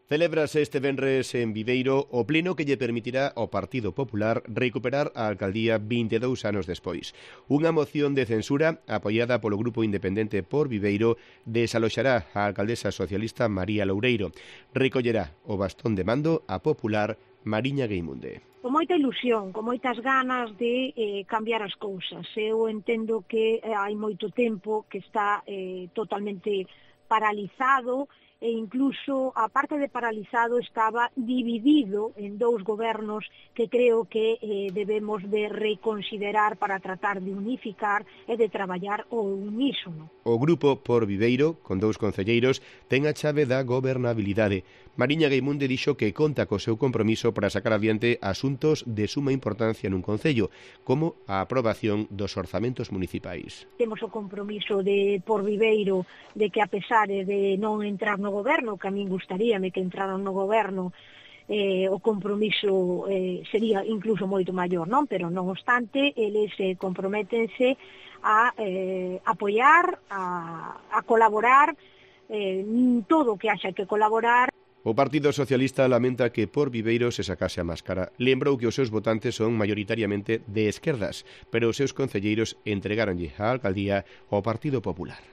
Celébrase este venres en Viveiro o pleno que lle permitirá ao Partido Popular recuperar a alcaldía 22 anos despois. Unha moción de censura apoiada polo Grupo Independente por Viveiro desaloxará a alcaldesa socialista María Loureiro. Recollerá o bastón de mando a popular Mariña Gueimunde. Con moita ilusión, con moitas ganas de cambiar as cousas. Eu entendo que hai moito tempo que está totalmente paralizado e incluso, a parte de paralizado, estaba dividido en dous gobernos que creo que debemos de reconsiderar para tratar de unificar e de traballar ao unísono. O Grupo por Viveiro, con 2 concelleiros, ten a chave da gobernabilidade. Mariña Gueimunde dixo que conta co seu compromiso para sacar adiante asuntos de suma importancia nun concello, como a aprobación dos orzamentos municipais. Temos o compromiso de por Viveiro de que, a pesar de non entrar no goberno, que a min gustaríame que entraran no goberno, o compromiso sería incluso moito maior, non? Pero non obstante, eles comprométense a apoiar, a colaborar, todo o que haxa que colaborar. O Partido Socialista lamenta que por Viveiro se sacase a máscara. Lembrou que os seus votantes son maioritariamente de esquerdas, pero os seus concelleiros entregáronlle a alcaldía ao Partido Popular.